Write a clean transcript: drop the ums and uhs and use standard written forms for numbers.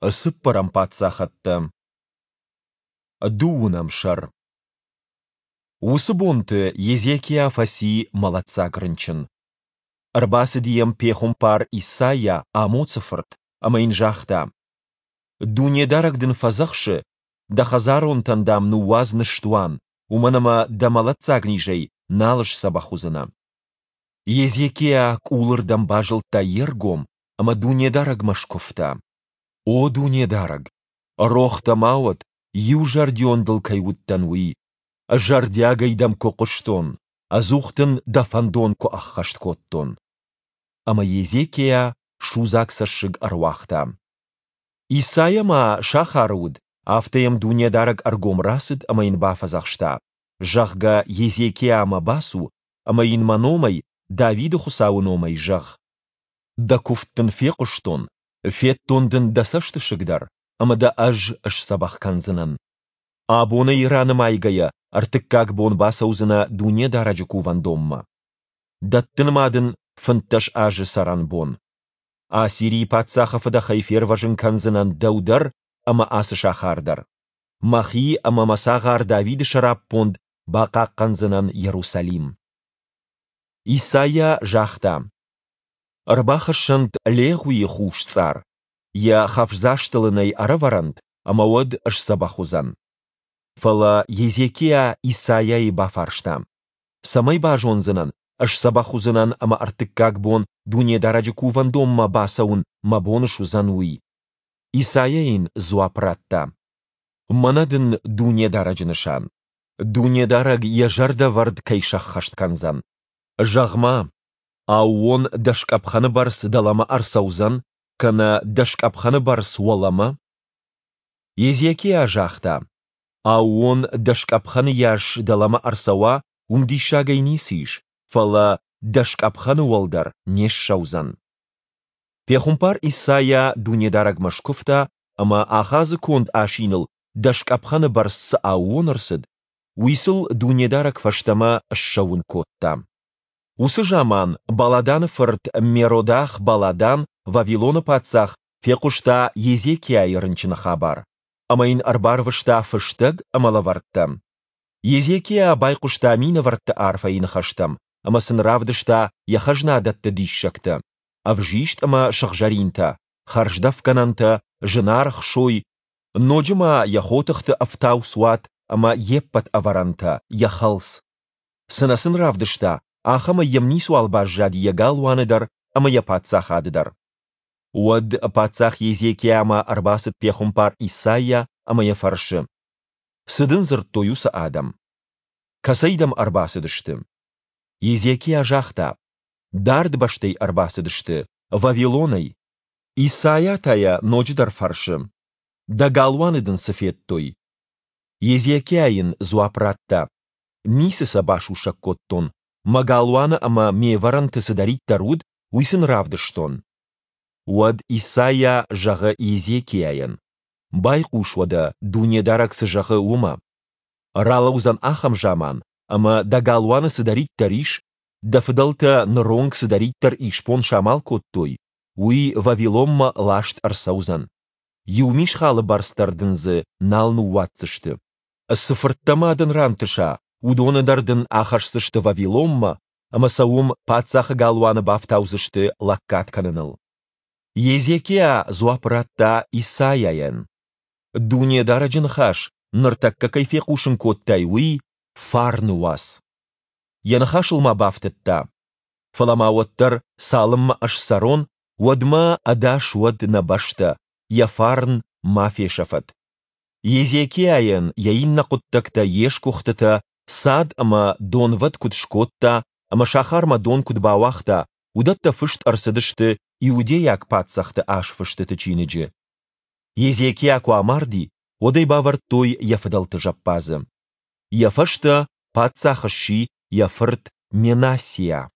Цыппӕрӕм паддзахӕдтӕ. Дыууынӕм сӕр. Уыцы бонты Езекиа фӕци мӕлӕтдзаг рынчын. Ӕрбацыди йӕм пехуымпар Исайа, Амоцы фырт, ӕмӕ йын загъта: Дунедарӕг дын фӕдзӕхсы, дӕ хӕдзаронтӕн, дам, ныууадз ныстуан, уымӕн ӕмӕ дӕ мӕлӕтдзаг низӕй нал сдзӕбӕх уыдзынӕ. Езекиа къулырдӕм базылдта йе ргом ӕмӕ Дунедарӕгмӕ скуывта: О Дунедарӕг, рох дӕ ма уӕд, иузӕрдион дыл кӕй уыдтӕн, уый, зӕрдиагӕй дӕм куы хъуыстон, ӕдзух дын дӕ фӕндон куы ӕххӕст кодтон. Ӕмӕ Езекиа судзаг цӕссыг ӕруагъта. Исайа ма сахары уыд, афтӕ йӕм Дунедарӕг ӕргом рацыд ӕмӕ йын бафӕдзӕхста, зӕгъгӕ, Езекиамӕ бацу ӕмӕ йын мӕ номӕй, Давиды Хуыцауы номӕй зӕгъ: Дӕ куывд дын фехъуыстон, федтон дын дӕ цӕстысыг дӕр, ӕмӕ дӕ ӕз сдзӕбӕх кӕндзынӕн. Абонӕй ранымайгӕйӕ ӕртыккаг бон бацӕудзынӕ Дунедарӕджы кувӕндонмӕ. Дӕттын ма дын 15 азы цӕрӕнбон. Ассирийы паддзахы фыдӕхӕй фервӕзын кӕндзынӕн дӕу дӕр ӕмӕ ацы сахар дӕр. Мӕхи ӕмӕ мӕ цагъар Давиды сӕраппонд бахъахъхъӕндзынӕн Иерусалим. Исайа загъта: Ӕрбахӕссӕнт легъуийы хус цъар, йӕ хӕфдзастыл ын ӕй ӕрӕвӕрӕнт, ӕмӕ уӕд сдзӕбӕх уыдзӕн. Фӕлӕ Езекиа Исайайы бафарста: Цӕмӕй базондзынӕн, сдзӕбӕх уыдзынӕн ӕмӕ ӕртыккаг бон Дунедарӕджы кувӕндонмӕ бацӕуын мӕ бон суыдзӕн, уый? Исайа йын дзуапп радта: Мӕнӕ дын Дунедарӕджы нысан. Дунедарӕг йӕ зӕрдӕвӕрд кӕй сӕххӕст кӕндзӕн. Зӕгъ-ма, аууон дӕс къӕпхӕны бӕрц дӕлӕмӕ ӕрцӕудзӕн, кӕнӕ дӕс къӕпхӕны бӕрц уӕлӕмӕ? Езекиа загъта, аууон дӕс къӕпхӕны йас дӕлӕмӕ ӕрцӕуа, уым диссагӕй ницы ис, фӕлӕ дӕс къӕпхӕны уӕлдӕр не ссӕудзӕн. Пехуымпар Исайа Дунедарӕгмӕ скуывта ӕмӕ Ахазы конд асиныл дӕс къӕпхӕны бӕрц цы аууон ӕрцыд, уый сыл Дунедарӕг фӕстӕмӕ ссӕуын кодта. Уыцы заман Баладаны фырт Меродах-Баладан, Вавилоны паддзах, фехъуыста Езекиайы рынчыны хабар, ӕмӕ йын ӕрбарвыста фыстӕг ӕмӕ лӕвӕрттӕ. Езекиа байхъуыста минӕвӕртты арфӕйы ныхӕстӕм ӕмӕ сын равдыста йӕ хӕзнадӕтты диссӕгтӕ, ӕвзист ӕмӕ сыгъзӕринтӕ, хӕрздӕфгӕнӕнтӕ, зынаргъ сой, ноджы ма йӕ хотыхты ӕфтауцуат ӕмӕ йе ппӕт ӕвӕрӕнтӕ, йӕ хӕлц. Цы нӕ сын равдыста, ахӕмӕй йӕм ницуал баззади йӕ галуаны дӕр ӕмӕ йӕ паддзахады дӕр. Уӕд паддзах Езекиамӕ ӕрбацыд пехуымпар Исайа ӕмӕ йӕ фӕрсы: Цы дын дзырдтой уыцы адӕм? Кӕцӕй дӕм ӕрбацыдысты? Езекиа загъта: Дард бӕстӕй ӕрбацыдысты, Вавилонӕй. Исайа та йӕ ноджыдӕр фӕрсы: Дӕ галуаны дын цы федтой? Езекиа йын дзуапп радта: Ницы сӕ басусӕг кодтон, мӕ галуаны ӕмӕ ме вӕрӕнты цыдӕриддӕр уыд, уый сын равдыстон. Уӕд Исайа зӕгъы Езекиайӕн: Байхъус уӕдӕ, Дунедарӕг цы зӕгъы, уымӕ. Ралӕудзӕн ахӕм заман, ӕмӕ дӕ галуаны цыдӕриддӕр ис, дӕ фыдӕлтӕ ныронг цыдӕриддӕр исбон самал кодтой, уый Вавилонмӕ ласт ӕрцӕудзӕн. Иу мисхалы бӕрц дӕр дын дзы нал ныууадздзысты. Цы фырттӕ ма дын рантыса, уыдоны дӕр дын ахӕсдзысты Вавилонмӕ ӕмӕ сӕ уым паддзахы галуаны бафтаудзысты лӕггад кӕныныл. Езекиа дзуапп радта Исайайӕн: Дунедарӕджы ныхас ныртӕккӕ кӕй фехъусын кодтай, уый фарны уац. Йӕ ныхасыл ма бафтыдта: Фӕлӕ ма уӕддӕр, цалынмӕ ӕз цӕрон, уӕдмӕ ӕдас уӕд нӕ бӕстӕ, йӕ фарн ма фесӕфӕд. Езекиайӕн йӕ иннӕ хъуыддӕгтӕ, йе сгуыхтытӕ, цад ӕмӕ донвӕд куыд скодта ӕмӕ сахармӕ дон куыд бауагъта, уыдӕттӕ фыст ӕрцыдысты иудейаг паддзӕхты азфыстыты чиныджы. Езекиа куы амарди, уӕд ӕй бавӕрдтой йӕ фыдӕлты зӕппадзы. Йӕ фӕстӕ паддзах сси йӕ фырт Менассиа.